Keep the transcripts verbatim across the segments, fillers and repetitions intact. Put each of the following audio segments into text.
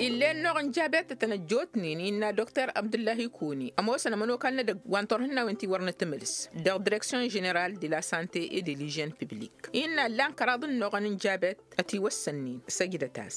Ill'-e ănnuɣ n-jabet tăt-tăn ăjjootnen innă dokter abdǝllahi kuni ămoosăn ămănokal n-edăgg wa n-turhǝnnawen ti wăr nǝtǝmǝlǝs dăɣ-direksyon ženeral de la sante e de ližen piblik. Innă ǝllan kăraḍ ănnuɣăn n-jabet ătiwăssănnen săjdăt-as.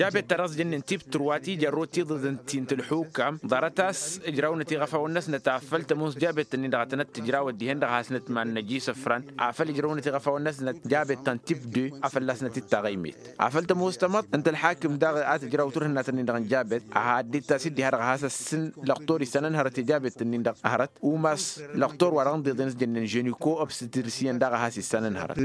Jabet ta dăɣ-s jănnen tip trwa ti jărrut tiḍǝḍ n-ti n-tǝlxukam ḍarăt-as ǝjrawnăt iɣăfawăn-năsnăt afăl tămoos jabet-ǝnnin-dăɣ a tănăt-tǝjrawăt dihen-dăɣ a hasnăt mannăj isǝfran afăl ǝjrawnăt iɣăfawăn-năsnăt jabet ta n-tip de a fălla-snăt d-taɣăymet. Afăl tămoos tamăḍt n-tălxakim daɣ a tǝjraw turhǝnnat-ǝnnin-dăɣ n-jabet a haddit-as-dd diha-dăɣ a has-ăssin lăqtor issanăn hărăt i-jabet-ǝnnin-dăɣ hărăt umas lăqtor wa dăɣ-ǝnḍeḍen s-jănnen žănikko ăbsǝtǝlsiyăn daɣ a has-issanăn hărăt.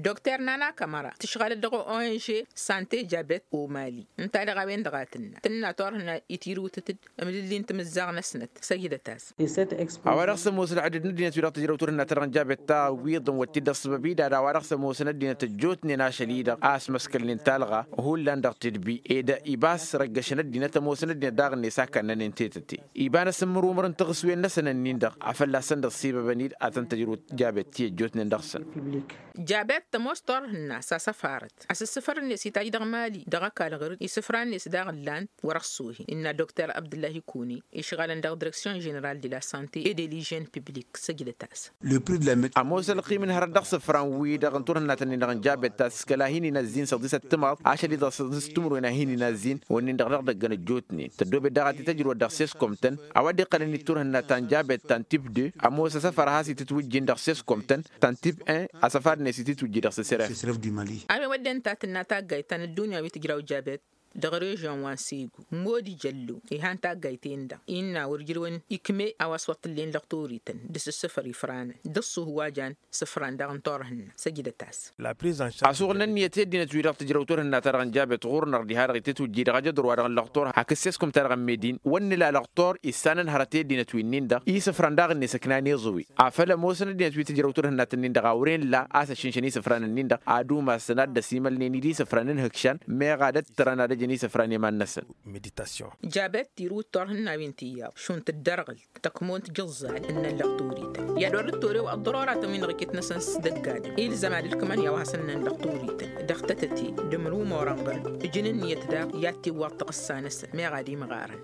Dokter nana kămăra tǝšɣalăt dăɣ-ong sante jabet omali ǝnta-dăɣ a-wen-dăɣ a tǝnna tǝnna turhǝna itirǝwtăt-dd ămlǝlli n-timǝzzaɣ-năsnăt săjdăt-as. A-wa dăɣ-s ămoos ălɣădăd n-ăddinăt wi-dăɣ tǝjrăw turhǝnna-ta-dăɣ n-jabet ta ǝwwiḍăn wăr t-dd-ăṣṣăbăb-i d-ad-a-wa dăɣ-s ămoosăn ăddinăt ăjjootnen ašăl-i-dăɣ a ăsmăskălnen talɣa hullan dăɣ-tedbi ed ibas răggăšăn ăddinăt ămoosăn ăddinăt daɣ-net a kannănen tetăte. Iba n-asǝmmǝrumăr n-taɣǝswen-năsăn ǝnnin-dăɣ a fălla-săn dăɣ-sibăbăn-dd ad-tăn-tǝjrǝw jabet ti ăjjootnen dăɣ-săn. Jabet tămoos turhǝnna s-asăfarăt asǝssǝfăr-net itaj dăɣ-mali dăɣ-ăkall ɣǝr-dd isǝfra-net daɣ ǝllan-t wăr-ăṣṣuhi innă dokter abdǝllahi kuni išɣalăn dăɣ-direksyon ženeral de la sante e de ližen piblik săjdăt-as. Ămoos ălqim n-hărăt dăɣ-isǝfran-wi-dăɣ n-turhǝnna-tăn-in-dăɣ n-jabet ta s-kăla hin-inazzin săḍisăt timaḍ ašăl-i-dăɣ săḍisăt timǝrwen a hin-inazzin wănnin-dăɣ dăɣ-idăgg ănăjjootnen tăddoobet daɣ a t-tăjrǝwăt dăɣ-seskomtăn. A-wa dd-iqqălăn-dd turhǝnna ta n-jabet ta n-tip de ămoos asăfar a has-itǝtwǝjjin dăɣ-seskomtăn ta n-tip en asăfar-net itǝtwǝjji dăɣ-s s-ref. A-wen wădden ta tǝnna taggayt ta n-ăddunya wi tǝjraw jabet dăɣ-režyon wa n-segu modi jăllo ihan taggayt-en-dăɣ innă wăr jǝrǝwăn ikme a-wa s-wăr t-ǝllen lăqtorităn d-asǝssǝfăr ifranăn d-ăṣṣuh wa jan sǝfran daɣ n-turhǝnna săjdăt-as. Asuɣǝl n-ǝnniyăt i-ăddinăt-wi-dăɣ tǝjrăw turhǝnna-ta-dăɣ n-jabet ɣur-năɣ diha-dăɣ itǝtwǝjji dăɣ-ajăḍur-wa-dăɣ n-lăqtor hakd seskum-ta-dăɣ n-medin wăr nǝla lăqtor issanăn hărăt i-ăddinăt wi-nin-dăɣ isǝfran daɣ-net ǝknan iẓǝwi afăl ămoosăn ăddinăt wi tǝjrăw turhǝnna-tăn-in-dăɣ a wăren la a-s ăššǝnšăn isǝfran-ǝnnin-dăɣ ad-umasăn ad-dd-ăsimălnen-dd isǝfran n-ihǝkšan meɣ ad-ăttărăn ad-ăjăn isǝfran i-iman-năsăn. Jabet tirǝw d-turhǝnnawen tiyyăḍ šund tǝddărɣǝlt tăkmont jǝẓẓal ǝnnăn lăqtorităn i-ad-wăr dd-torew ăḍḍăroratăn wi n-iɣǝket-năsăn s-dăgg-adǝm ilzăm ad-ǝlkǝmăn i-a-wa hasăn-ǝnnăn lăqtorităn dăɣ-tătăte d-ǝmrǝw morănɣăl ǝjǝn ǝnniyăt daɣ i-ad-tiwwaḍ tăɣǝssa-năsăn meɣ ad-imɣarăn.